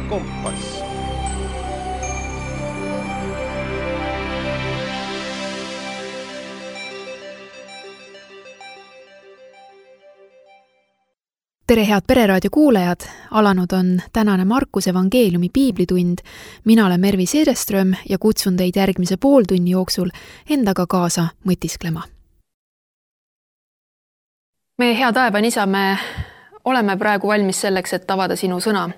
kompass. Tere head Pereraadio kuulajad, alanud on tänane Markuse evangeeliumi piiblitund. Mina olen Mervi Seereström ja kutsun teid järgmise pooltunni jooksul endaga kaasa mõtisklema. Meie hea taevane isa, me oleme praegu valmis selleks, et avada sinu sõna.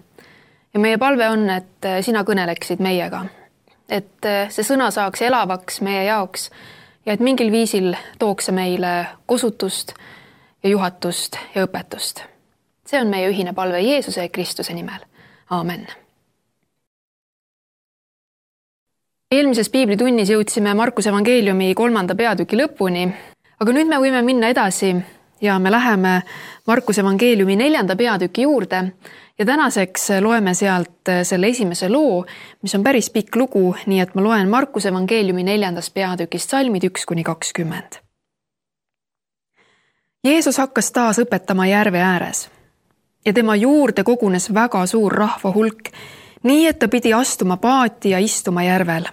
Ja meie palve on, et sina kõneleksid meiega. Et see sõna saaks elavaks meie jaoks ja et mingil viisil tooks meile kosutust ja juhatust ja õpetust. See on meie ühine palve Jeesuse ja Kristuse nimel. Aamen. Eelmises piiblitunnis jõudsime Markuse evangeeliumi 3. peatüki lõpuni, aga nüüd me võime minna edasi ja me läheme Markuse evangeeliumi 4. peatüki juurde ja tänaseks loeme sealt selle esimese loo, mis on päris pikk lugu, nii et ma loen Markuse evangeeliumi 4. peatükist salmid 1-20. Jeesus hakkas taas õpetama järve ääres. Ja tema juurde kogunes väga suur rahva hulk, nii et ta pidi astuma paati ja istuma järvel.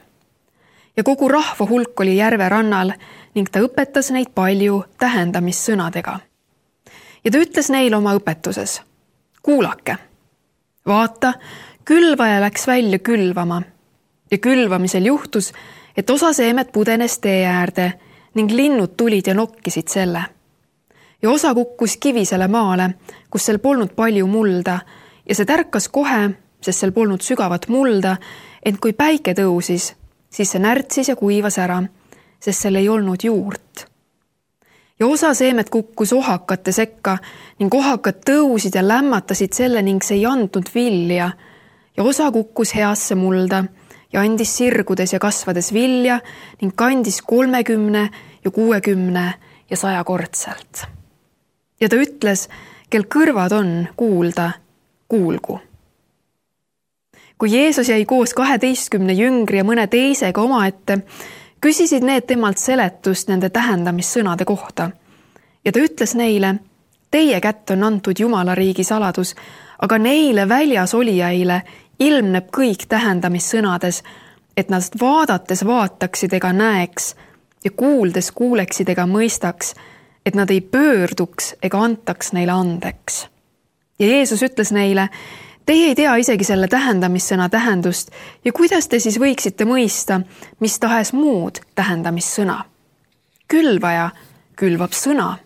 Ja kogu rahva hulk oli järve rannal ning ta õpetas neid palju tähendamissõnadega. Ja ta ütles neile oma õpetuses: kuulake, vaata, külvaja läks välja külvama. Ja külvamisel juhtus, et osa seemet pudenes tee äärde ning linnud tulid ja nokkisid selle. Ja osa kukkus kivisele maale, kus seal polnud palju mulda ja see tärkas kohe, sest seal polnud sügavat mulda, ent kui päike tõusis, siis see närtsis ja kuivas ära, sest seal ei olnud juurt. Ja osa seemet kukkus ohakate sekka ning ohakad tõusid ja lämmatasid selle ning see ei andnud vilja ja osa kukkus heasse mulda ja andis sirgudes ja kasvades vilja ning kandis 30 ja 60 ja 100 kordselt. Ja ta ütles, kel kõrvad on kuulda, kuulgu. Kui Jeesus jäi koos 12 jüngri ja mõne teisega omaette, küsisid need temalt seletust nende tähendamissõnade kohta. Ja ta ütles neile: teie kätt on antud Jumala riigi saladus, aga neile väljas olijaile ilmneb kõik tähendamissõnades, et nad vaadates vaataksid ega näeks ja kuuldes kuuleksid ega mõistaks, et nad ei pöörduks ega antaks neile andeks. Ja Jeesus ütles neile: teie ei tea isegi selle tähendamissõna tähendust ja kuidas te siis võiksite mõista, mis tahes muud tähendamissõna? Külvaja külvab sõna.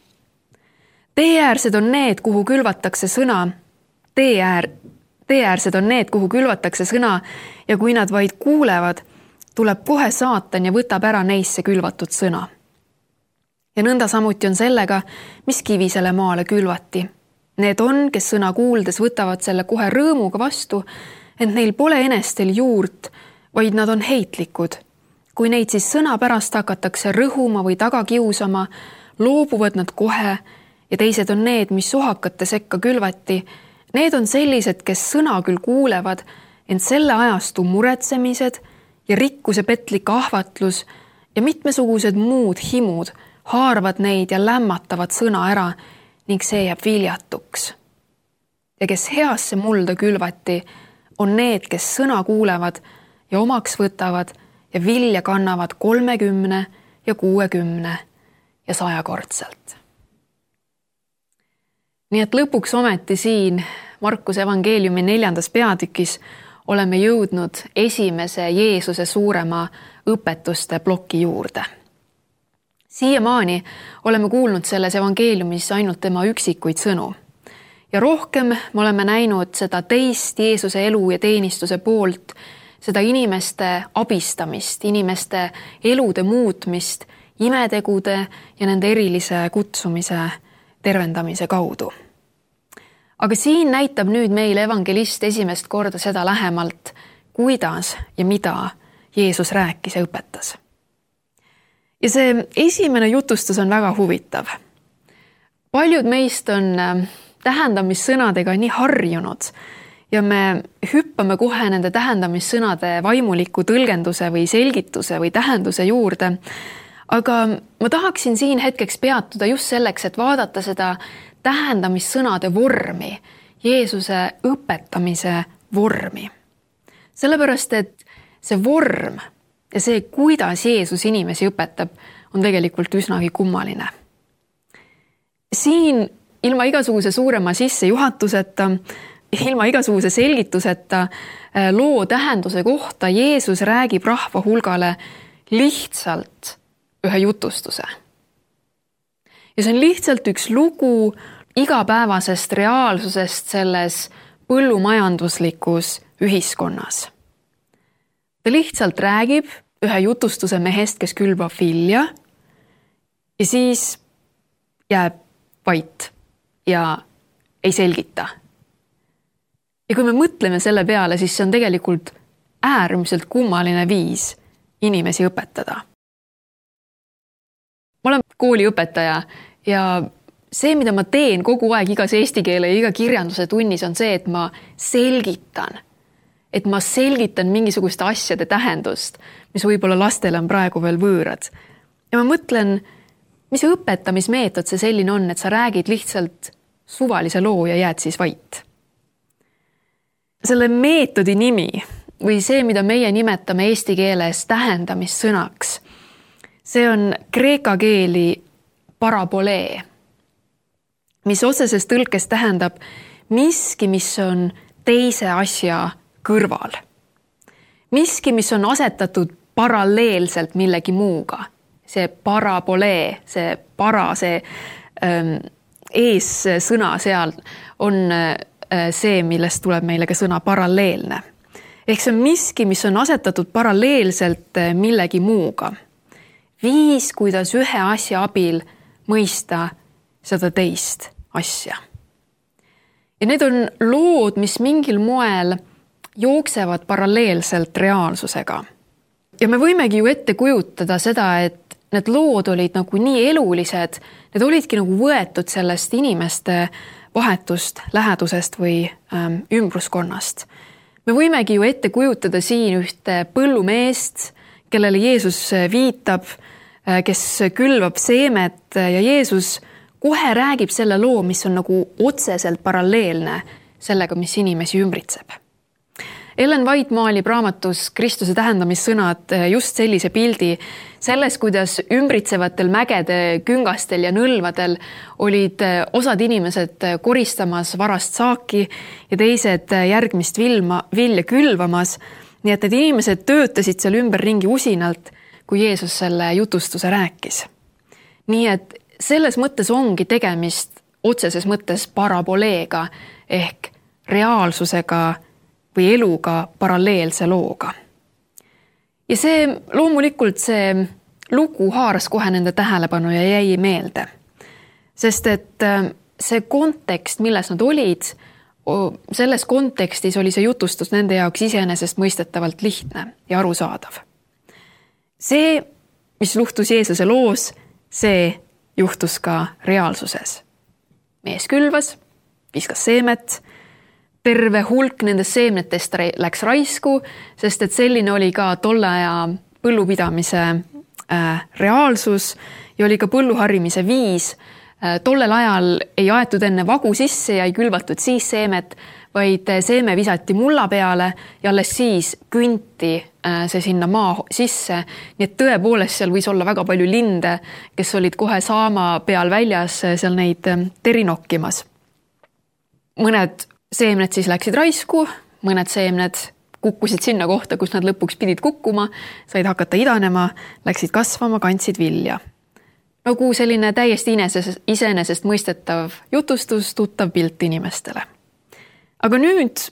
Teeäärsed on need, kuhu külvatakse sõna. Teeäärsed on need, kuhu külvatakse sõna ja kui nad vaid kuulevad, tuleb kohe saatan ja võtab ära neisse külvatud sõna. Ja nõnda samuti on sellega, mis kivisele maale külvati. Need on, kes sõna kuuldes võtavad selle kohe rõõmuga vastu, ent neil pole enestel juurt, vaid nad on heitlikud. Kui neid siis sõna pärast hakatakse rõhuma või taga kiusama, loobuvad nad kohe ja teised on need, mis ohakate sekka külvati. Need on sellised, kes sõna küll kuulevad, ent selle ajastu muretsemised ja rikkuse petlik ahvatlus ja mitmesugused muud himud haaravad neid ja lämmatavad sõna ära ning see jääb viljatuks. Ja kes heasse mulda külvati, on need, kes sõna kuulevad ja omaks võtavad ja vilja kannavad 30 ja 60 ja 100 kordselt. Nii et lõpuks ometi siin Markuse evangeeliumi 4. peatükis oleme jõudnud esimese Jeesuse suurema õpetuste ploki juurde. Siiamaani oleme kuulnud selles evangeeliumis ainult tema üksikuid sõnu. Ja rohkem me oleme näinud seda teist Jeesuse elu ja teenistuse poolt, seda inimeste abistamist, inimeste elude muutmist, imetegude ja nende erilise kutsumise tervendamise kaudu. Aga siin näitab nüüd meile evangelist esimest korda seda lähemalt, kuidas ja mida Jeesus rääkis ja õpetas. Ja see esimene jutustus on väga huvitav. Paljud meist on tähendamissõnadega nii harjunud ja me hüppame kohe nende tähendamissõnade vaimuliku tõlgenduse või selgituse või tähenduse juurde. Aga ma tahaksin siin hetkeks peatuda just selleks, et vaadata seda tähendamissõnade vormi, Jeesuse õpetamise vormi. Sellepärast, et see vorm ja see, kuidas Jeesus inimesi õpetab, on tegelikult üsnagi kummaline. Siin ilma igasuguse suurema sissejuhatuseta, ilma igasuguse selgituseta loo tähenduse kohta Jeesus räägib rahva hulgale lihtsalt ühe jutustuse. Ja see on lihtsalt üks lugu igapäevasest reaalsusest selles põllumajanduslikus ühiskonnas. Ta lihtsalt räägib ühe jutustuse mehest, kes külvab vilja ja siis jääb vait ja ei selgita. Ja kui me mõtleme selle peale, siis see on tegelikult äärmiselt kummaline viis inimesi õpetada. Ma olen kooliõpetaja ja see, mida ma teen kogu aeg igas eesti keele ja iga kirjanduse tunnis, on see, et ma selgitan mingisuguste asjade tähendust, mis võib-olla lastele on praegu veel võõrad. Ja ma mõtlen, mis õpetamismeetod see selline on, et sa räägid lihtsalt suvalise loo ja jääd siis vait. Selle meetodi nimi või see, mida meie nimetame eesti keeles tähendamissõnaks, see on kreeka keeli parabolee, mis otseses tõlkes tähendab miski, mis on teise asja kõrval. Miski, mis on asetatud paralleelselt millegi muuga. See parabolee, see ees sõna seal on see, millest tuleb meile ka sõna paralleelne. Ehk see on miski, mis on asetatud paralleelselt millegi muuga. Viis, kuidas ühe asja abil mõista seda teist asja. Ja need on lood, mis mingil moel jooksevad paralleelselt reaalsusega. Ja me võimegi ju ette kujutada seda, et need lood olid nagu nii elulised, need olidki nagu võetud sellest inimeste vahetust, lähedusest või ümbruskonnast. Me võimegi ju ette kujutada siin ühte põllumeest, kellele Jeesus viitab, kes külvab seemet ja Jeesus kohe räägib selle loo, mis on nagu otseselt paralleelne sellega, mis inimesi ümbritseb. Ellen White maalib raamatus Kristuse tähendamissõnad just sellise pildi selles, kuidas ümbritsevatel mägede küngastel ja nõlvadel olid osad inimesed koristamas varast saaki ja teised järgmist vilja külvamas. Nii et need inimesed töötasid seal ümberringi usinalt, kui Jeesus selle jutustuse rääkis. Nii et selles mõttes ongi tegemist otseses mõttes paraboleega ehk reaalsusega või eluga paralleelse looga. Ja see loomulikult see lugu haaras kohe nende tähelepanu ja jäi meelde. Sest et see kontekst, milles nad olid, selles kontekstis oli see jutustus nende jaoks iseenesest mõistetavalt lihtne ja arusaadav. See, mis luhtus Jeesuse loos, see juhtus ka reaalsuses. Mees külvas, viskas seemet, terve hulk nendest seemnetest läks raisku, sest et selline oli ka tolle aja põllupidamise reaalsus ja oli ka põlluharimise viis. Tollel ajal ei aetud enne vagu sisse ja ei külvatud siis seemet, vaid seeme visati mulla peale ja alles siis künti see sinna maa sisse. Nii et tõepoolest seal võis olla väga palju linde, kes olid kohe saama peal väljas seal neid teri nokkimas. Mõned seemned siis läksid raisku, mõned seemned kukkusid sinna kohta, kus nad lõpuks pidid kukkuma, said hakata idanema, läksid kasvama, kandsid vilja. Nagu selline täiesti iseenesest mõistetav jutustus, tuttav pilt inimestele. Aga nüüd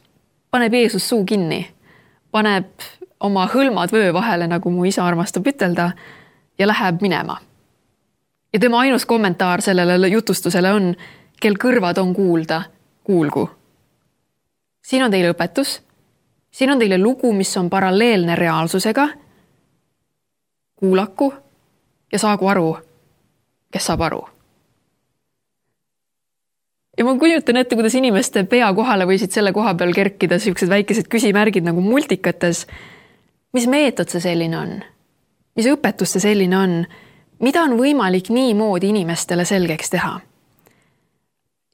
paneb Jeesus suu kinni, paneb oma hõlmad vöö vahele, nagu mu isa armastab ütelda, ja läheb minema. Ja tema ainus kommentaar sellele jutustusele on, kel kõrvad on kuulda, kuulgu. Siin on teile õpetus, siin on teile lugu, mis on paralleelne reaalsusega, kuulaku ja saagu aru, kes saab aru. Ja ma kujutan ette, kuidas inimeste pea kohale võisid selle koha peal kerkida sellised väikesed küsimärgid nagu multikates. Mis meetod see selline on? Mis õpetus see selline on? Mida on võimalik nii moodi inimestele selgeks teha?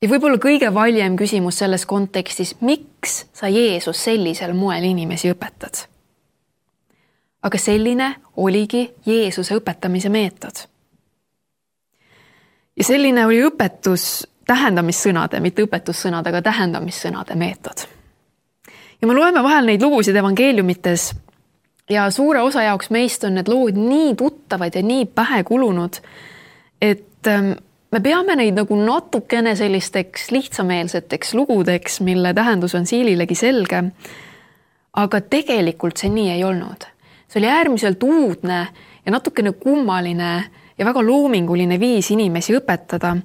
Ja võib-olla kõige valjem küsimus selles kontekstis, miks sa Jeesus sellisel moel inimesi õpetad? Aga selline oligi Jeesuse õpetamise meetod. Ja selline oli õpetus tähendamissõnade, mitte õpetussõnade, aga tähendamissõnade meetod. Ja me loeme vahel neid lugusid evangeeliumites ja suure osa jaoks meist on need lood nii tuttavad ja nii pähe kulunud, et me peame neid nagu natukene sellisteks lihtsameelseteks lugudeks, mille tähendus on siililegi selge, aga tegelikult see nii ei olnud. See oli äärmiselt uudne ja natukene kummaline ja väga loominguline viis inimesi õpetada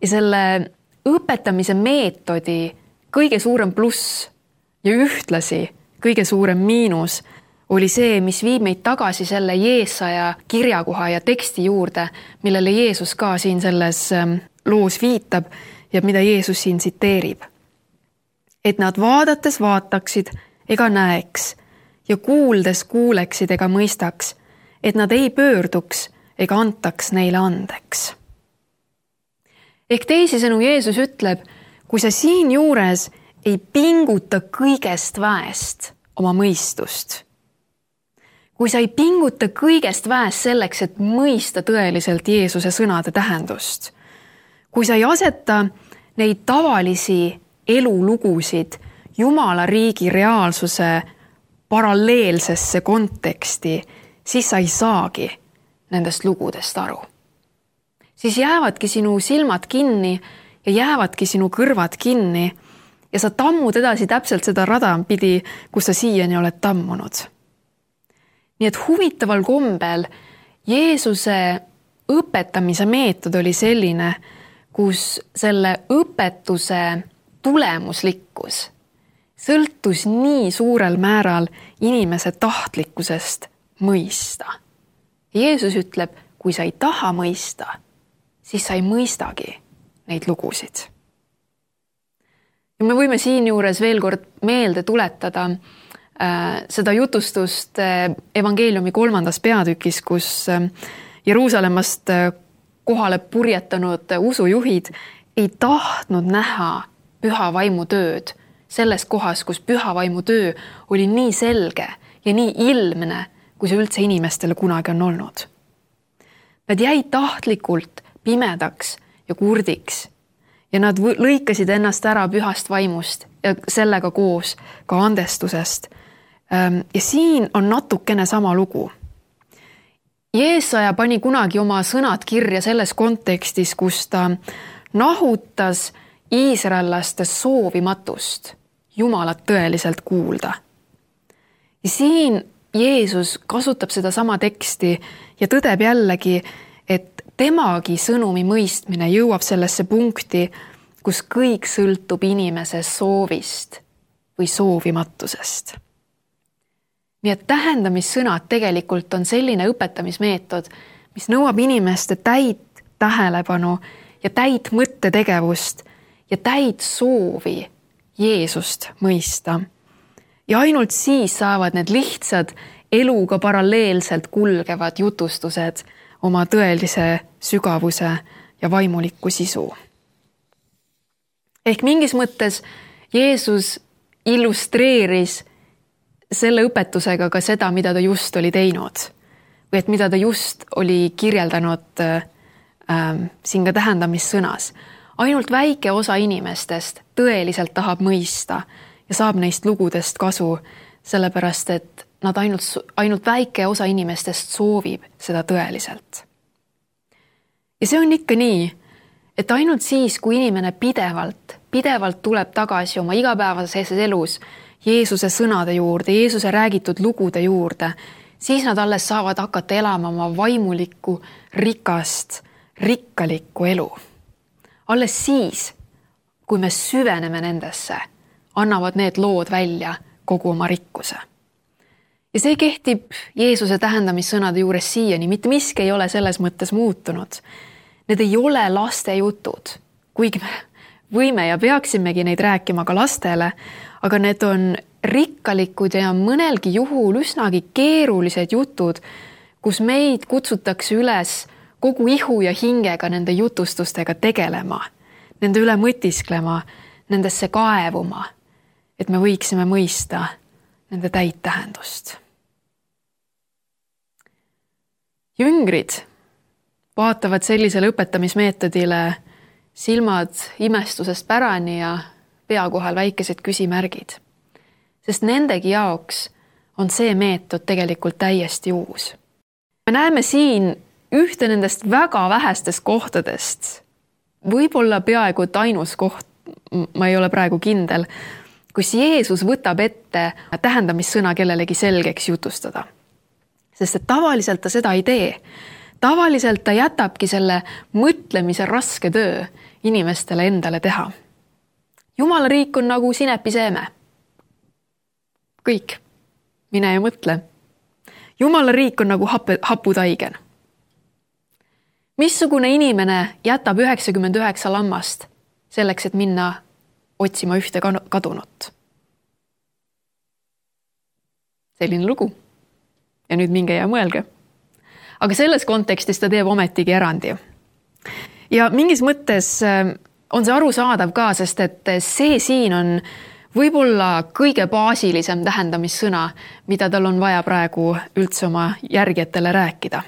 ja selle õpetamise meetodi kõige suurem pluss ja ühtlasi kõige suurem miinus oli see, mis viib meid tagasi selle Jeesaja kirjakoha ja teksti juurde, millele Jeesus ka siin selles loos viitab ja mida Jeesus siin tsiteerib. Et nad vaadates vaataksid ega näeks ja kuuldes kuuleksid ega mõistaks, et nad ei pöörduks ega antaks neile andeks. Ehk teisisõnu Jeesus ütleb, kui sa siin juures ei pinguta kõigest väest oma mõistust, kui sa ei pinguta kõigest väest selleks, et mõista tõeliselt Jeesuse sõnade tähendust, kui sa ei aseta neid tavalisi elulugusid Jumala riigi reaalsuse paralleelsesse konteksti, siis sa ei saagi nendest lugudest aru. Siis jäävadki sinu silmad kinni ja jäävadki sinu kõrvad kinni ja sa tammud edasi täpselt seda rada pidi, kus sa siiani oled tammunud. Nii et huvitaval kombel Jeesuse õpetamise meetod oli selline, kus selle õpetuse tulemuslikkus sõltus nii suurel määral inimese tahtlikkusest mõista. Jeesus ütleb, kui sa ei taha mõista, siis sa ei mõistagi neid lugusid. Ja me võime siin juures veel kord meelde tuletada seda jutustust evangeeliumi 3. peatükis, kus Jeruusalemmast kohale purjetanud usujuhid ei tahtnud näha püha vaimu tööd selles kohas, kus püha vaimu töö oli nii selge ja nii ilmne, kui see üldse inimestele kunagi on olnud. Nad jäid tahtlikult pimedaks ja kurdiks ja nad lõikasid ennast ära pühast vaimust ja sellega koos ka andestusest. Ja siin on natukene sama lugu. Jeesaja pani kunagi oma sõnad kirja selles kontekstis, kus ta nahutas iisraellaste soovimatust Jumalat tõeliselt kuulda. Ja siin Jeesus kasutab seda sama teksti ja tõdeb jällegi, et temagi sõnumi mõistmine jõuab sellesse punkti, kus kõik sõltub inimese soovist või soovimatusest. Nii et tähendamissõnad tegelikult on selline õpetamismeetod, mis nõuab inimeste täit tähelepanu ja täit mõttetegevust ja täit soovi Jeesust mõista. Ja ainult siis saavad need lihtsad eluga paralleelselt kulgevad jutustused oma tõelise sügavuse ja vaimuliku sisu. Ehk mingis mõttes Jeesus illustreeris selle õpetusega ka seda, mida ta just oli teinud või et mida ta just oli kirjeldanud siin ka tähendamissõnas. Ainult väike osa inimestest tõeliselt tahab mõista ja saab neist lugudest kasu, sellepärast et nad ainult väike osa inimestest soovib seda tõeliselt. Ja see on ikka nii, et ainult siis, kui inimene pidevalt tuleb tagasi oma igapäevases elus Jeesuse sõnade juurde, Jeesuse räägitud lugude juurde, siis nad alles saavad hakata elama oma vaimulikku, rikkalikku elu. Alles siis, kui me süveneme nendesse, annavad need lood välja kogu oma rikkuse. Ja see kehtib Jeesuse tähendamissõnade juures siiani, mitte miski ei ole selles mõttes muutunud. Need ei ole laste jutud, kuigi me võime ja peaksimegi neid rääkima ka lastele, aga need on rikkalikud ja mõnelgi juhul üsnagi keerulised jutud, kus meid kutsutakse üles kogu ihu ja hingega nende jutustustega tegelema, nende üle mõtisklema, nendesse kaevuma, et me võiksime mõista nende täittähendust. Jüngrid vaatavad sellisele õpetamismeetodile silmad imestusest pärani ja pea kohal väikesed küsimärgid, sest nendegi jaoks on see meetod tegelikult täiesti uus. Me näeme siin ühte nendest väga vähestest kohtadest, võib-olla peaaegu et ainus koht, ma ei ole praegu kindel, kus Jeesus võtab ette tähendamissõna kellelegi selgeks jutustada. Sest et tavaliselt ta seda ei tee. Tavaliselt ta jätabki selle mõtlemise raske töö inimestele endale teha. Jumala riik on nagu sinepiseeme. Kõik. Mine ja mõtle. Jumala riik on nagu haputaigen. Missugune inimene jätab 99 lammast selleks, et minna otsima ühte kadunut? Selline lugu. Ja nüüd minge ja mõelge. Aga selles kontekstis ta teeb ometigi erandi. Ja mingis mõttes on see arusaadav ka, sest et see siin on võib-olla kõige baasilisem tähendamissõna, mida tal on vaja praegu üldse oma järgijatele rääkida.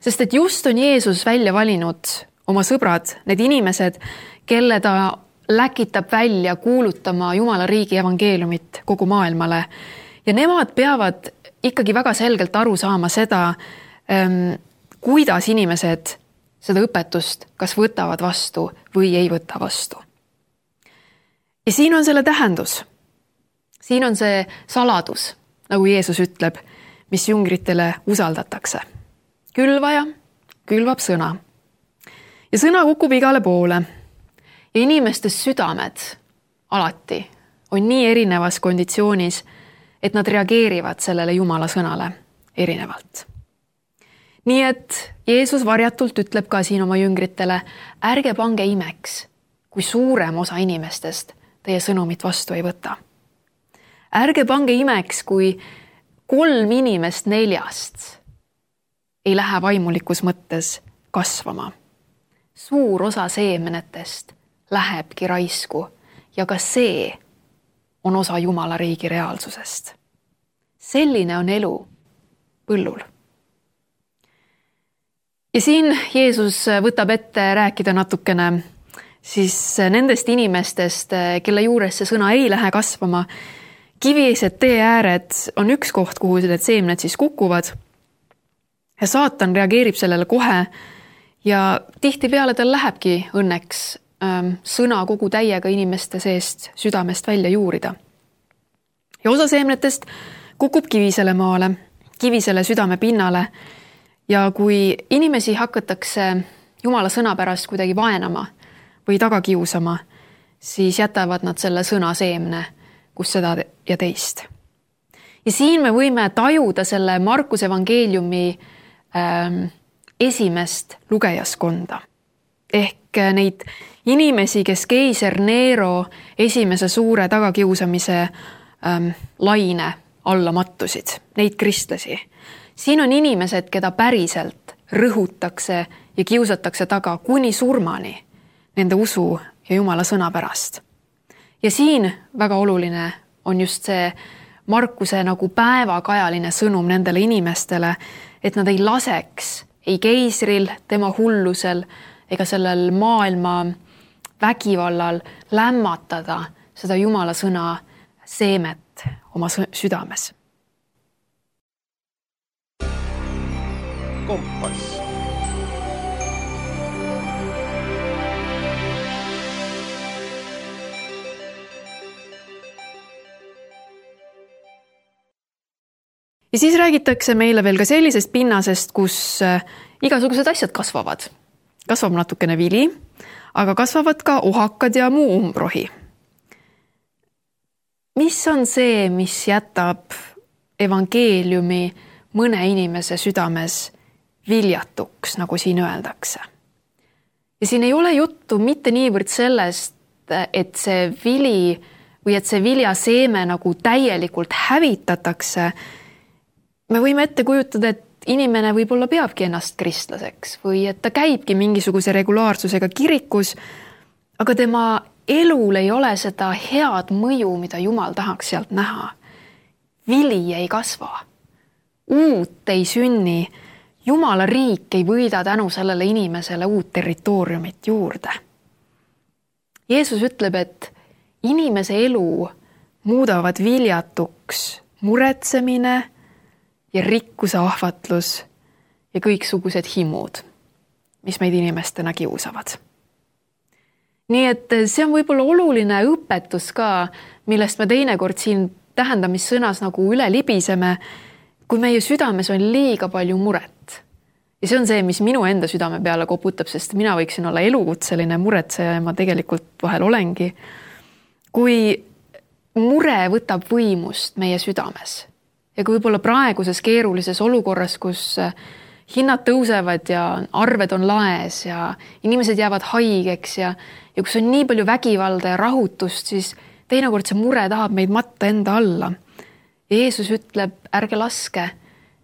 Sest et just on Jeesus välja valinud oma sõbrad, need inimesed, kelle ta läkitab välja kuulutama Jumala riigi evangeeliumit kogu maailmale. Ja nemad peavad ikkagi väga selgelt aru saama seda, kuidas inimesed seda õpetust kas võtavad vastu või ei võta vastu. Ja siin on selle tähendus. Siin on see saladus, nagu Jeesus ütleb, mis jüngritele usaldatakse. Külvaja külvab sõna. Ja sõna kukub igale poole. Ja inimeste südamed alati on nii erinevas konditsioonis, et nad reageerivad sellele Jumala sõnale erinevalt. Nii et Jeesus varjatult ütleb ka siin oma jüngritele, ärge pange imeks, kui suurem osa inimestest teie sõnumit vastu ei võta. Ärge pange imeks, kui 3 inimest 4 ei lähe vaimulikus mõttes kasvama. Suur osa seemenetest lähebki raisku ja ka see on osa Jumala riigi reaalsusest. Selline on elu põllul. Ja siin Jeesus võtab ette rääkida natukene siis nendest inimestest, kelle juures see sõna ei lähe kasvama. Kivised tee ääred on üks koht, kuhu need seemned siis kukuvad. Ja saatan reageerib sellele kohe ja tihtipeale tal lähebki õnneks sõna kogu täiega inimeste seest südamest välja juurida. Ja osa seemnetest kukub kivisele maale, kivisele südame pinnale ja kui inimesi hakatakse Jumala sõna pärast kuidagi vaenama või taga kiusama, siis jätavad nad selle sõna seemne, kus seda ja teist. Ja siin me võime tajuda selle Markuse evangeeliumi esimest lugejaskonda. Ehk neid inimesi, kes keiser Nero esimese suure tagakiusamise laine alla mattusid, neid kristlasi. Siin on inimesed, keda päriselt rõhutakse ja kiusatakse taga kuni surmani nende usu ja Jumala sõna pärast. Ja siin väga oluline on just see Markuse nagu päevakajaline sõnum nendele inimestele, et nad ei laseks ei keisril, tema hullusel ega sellel maailma vägivallal lämmatada seda Jumala sõna seemet oma südames. Kompass. Ja siis räägitakse meile veel ka sellisest pinnasest, kus igasugused asjad kasvavad. Kasvab natukene vili, aga kasvavad ka ohakad ja muu umbrohi. Mis on see, mis jätab evangeeliumi mõne inimese südames viljatuks, nagu siin öeldakse? Ja siin ei ole juttu mitte niivõrd sellest, et see vili või et see viljaseeme nagu täielikult hävitatakse. Me võime ette kujutada, et inimene võib-olla peabki ennast kristlaseks või et ta käibki mingisuguse regulaarsusega kirikus, aga tema elul ei ole seda head mõju, mida Jumal tahaks sealt näha. Vili ei kasva, uut ei sünni, Jumala riik ei võida tänu sellele inimesele uut territooriumit juurde. Jeesus ütleb, et inimese elu muudavad viljatuks muretsemine ja rikkuse ahvatlus ja kõiksugused himud, mis meid inimestena kiusavad. Nii et see on võib-olla oluline õpetus ka, millest me teinekord siin tähendamissõnas nagu üle libiseme, kui meie südames on liiga palju muret. Ja see on see, mis minu enda südame peale koputab, sest mina võiksin olla elukutseline muretseja ja ma tegelikult vahel olengi. Kui mure võtab võimust meie südames ja kui võib-olla praeguses keerulises olukorras, kus hinnad tõusevad ja arved on laes ja inimesed jäävad haigeks ja kus on nii palju vägivalda ja rahutust, siis teinekord see mure tahab meid matta enda alla. Jeesus ütleb, ärge laske,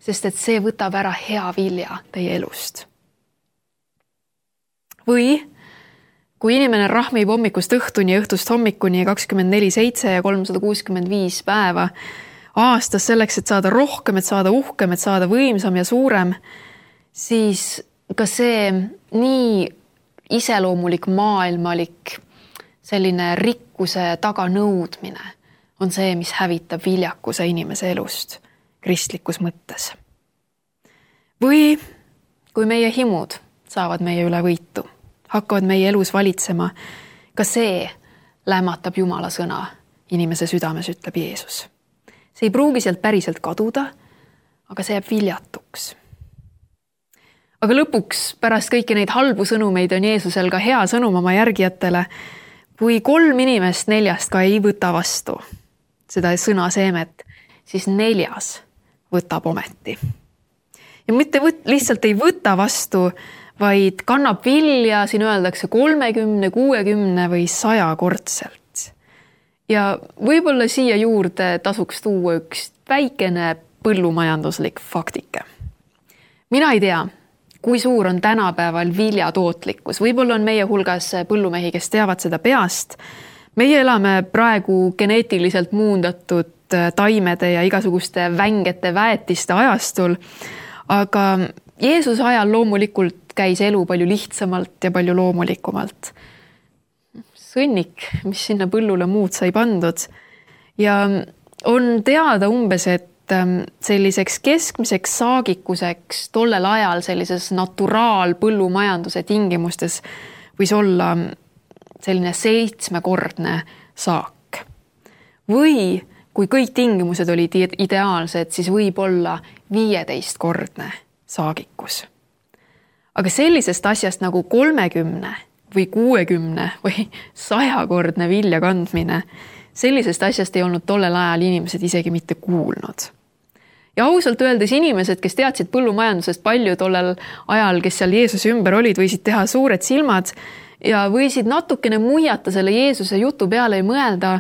sest et see võtab ära hea vilja teie elust. Või kui inimene rahmib hommikust õhtuni ja õhtust hommikuni 24/7 ja 365 päeva aastas selleks, et saada rohkem, et saada uhkem, et saada võimsam ja suurem, siis ka see nii iseloomulik maailmalik selline rikkuse taganõudmine on see, mis hävitab viljakuse inimese elust kristlikus mõttes. Või kui meie himud saavad meie üle võitu, hakkavad meie elus valitsema, ka see lämmatab Jumala sõna inimese südames, ütleb Jeesus. See ei pruugi sealt päriselt kaduda, aga see jääb viljatuks. Aga lõpuks pärast kõiki neid halbu sõnumeid on Jeesusel ka hea sõnum oma järgijatele, kui 3 inimest 4 ka ei võta vastu seda sõna seemet, siis 4 võtab ometi. Ja mitte lihtsalt ei võta vastu, vaid kannab vilja, siin öeldakse 30, 60 või 100 kordselt. Ja võib-olla siia juurde tasuks tuua üks väikene põllumajanduslik faktike. Mina ei tea, kui suur on tänapäeval viljatootlikkus. Võib-olla on meie hulgas põllumehi, kes teavad seda peast. Meie elame praegu geneetiliselt muundatud taimede ja igasuguste vängete väetiste ajastul, aga Jeesuse ajal loomulikult käis elu palju lihtsamalt ja palju loomulikumalt. Sõnnik, mis sinna põllule muud sai pandud. Ja on teada umbes, et selliseks keskmiseks saagikuseks tollel ajal sellises naturaalpõllumajanduse tingimustes võis olla selline 7-kordne saak. Või kui kõik tingimused olid ideaalsed, siis võib olla 15-kordne saagikus. Aga sellisest asjast nagu 30 või 60 või 100-kordne vilja kandmine, sellisest asjast ei olnud tollel ajal inimesed isegi mitte kuulnud. Ja ausalt öeldes inimesed, kes teadsid põllumajandusest palju tollel ajal, kes seal Jeesuse ümber olid, võisid teha suured silmad ja võisid natukene muiata selle Jeesuse jutu peale ja mõelda,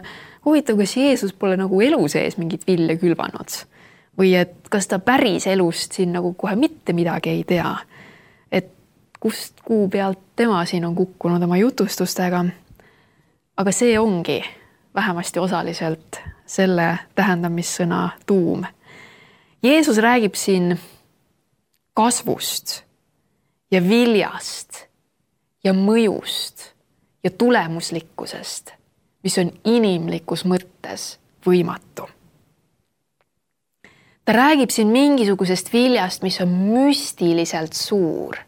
huvitav, kas Jeesus pole nagu elu sees mingit vilja külvanud. Või et kas ta päris elust siin nagu kohe mitte midagi ei tea. Et kust kuu pealt tema siin on kukkunud oma jutustustega. Aga see ongi vähemasti osaliselt selle tähendamissõna tuum. Jeesus räägib siin kasvust ja viljast ja mõjust ja tulemuslikkusest, mis on inimlikus mõttes võimatu. Ta räägib siin mingisugusest viljast, mis on müstiliselt suur,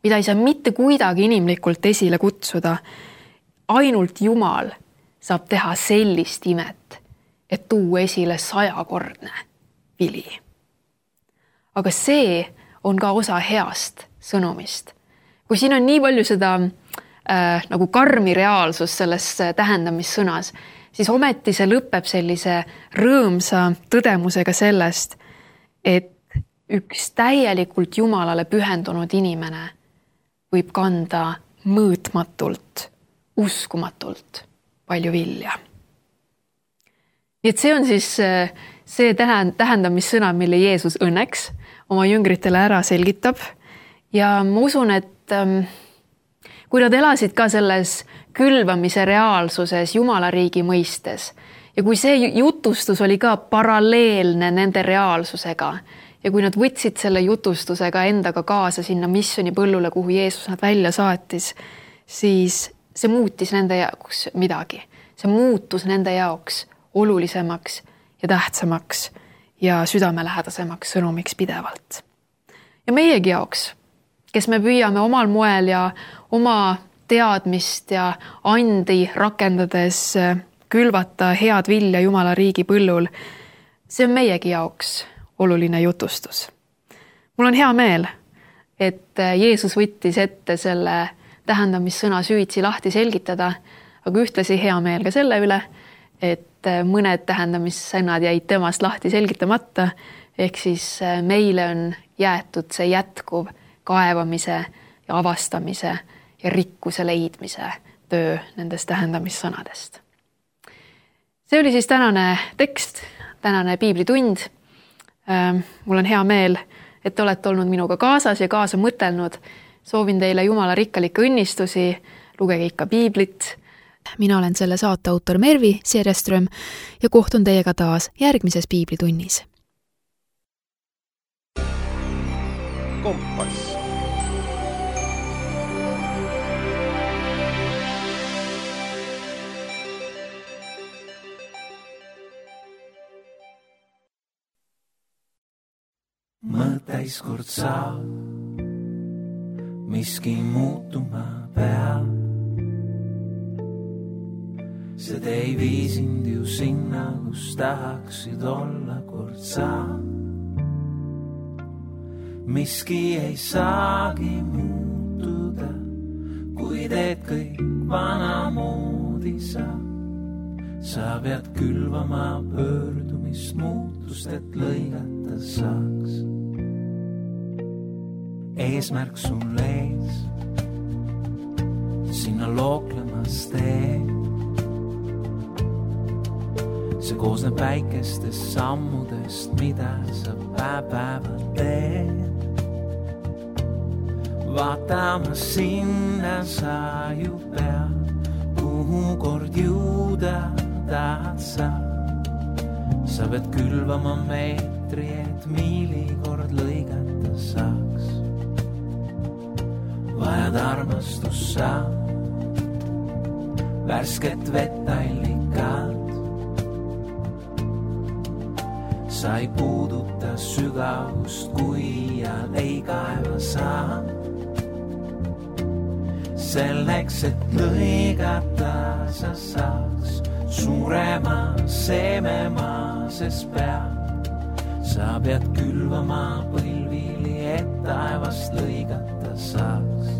mida ei saa mitte kuidagi inimlikult esile kutsuda. Ainult Jumal saab teha sellist imet, et tuua esile 100-kordne vili. Aga see on ka osa heast sõnumist. Kui siin on nii palju seda nagu karmi reaalsus selles tähendamissõnas, siis ometi see lõpeb sellise rõõmsa tõdemusega sellest, et üks täielikult Jumalale pühendunud inimene võib kanda mõõtmatult, uskumatult palju vilja. Nii et see on siis see tähendamissõna, mille Jeesus õnneks oma jüngritele ära selgitab. Ja ma usun, et kui nad elasid ka selles külvamise reaalsuses Jumala riigi mõistes ja kui see jutustus oli ka paralleelne nende reaalsusega ja kui nad võtsid selle jutustusega endaga kaasa sinna missionipõllule, kuhu Jeesus nad välja saatis, siis see muutis nende jaoks midagi. See muutus nende jaoks olulisemaks ja tähtsamaks ja südamelähedasemaks sõnumiks pidevalt. Ja meiegi jaoks, kes me püüame omal moel ja oma teadmist ja andi rakendades külvata head vilja Jumala riigi põllul, see on meiegi jaoks oluline jutustus. Mul on hea meel, et Jeesus võttis ette selle tähendamissõna süvitsi lahti selgitada, aga ühtlasi hea meel ka selle üle, et mõned tähendamissõnad jäid temast lahti selgitamata, ehk siis meile on jäetud see jätkuv kaevamise ja avastamise ja rikkuse leidmise töö nendest tähendamissõnadest. See oli siis tänane tekst, tänane piiblitund. Mul on hea meel, et te olete olnud minuga kaasas ja kaasa mõtelnud. Soovin teile Jumala rikkalikke õnnistusi, lugege ikka piiblit. Mina olen selle saate autor Mervi Serjeström ja kohtun teiega taas järgmises piiblitunnis. Kompass. Mõteis kord saab, miski muutuma peab. See ei vii sind ju sinna, kus tahaksid olla kord saab. Miski ei saagi muutuda, kui teed kõik vanamoodi saab. Sa pead külvama pöördumist muutust, et lõigata saaks. Eesmärk sul ees, sinna looklemas tee. See koosneb väikestest sammudest, mida sa päev-päeval teed. Vaatama sinna sa ju pead, kuhu kord jõuda tahad sa. Sa pead külvama meetri, et miili kord lõigata saaks. Vajad armastus sa, värsket vett allikad. Sa ei puuduta sügavust, kui iial ei kaeva saa. Selleks, et lõigata sa saaks suurema seememaa, sest peab. Sa pead külvama põlvili, et taevast lõigata saaks.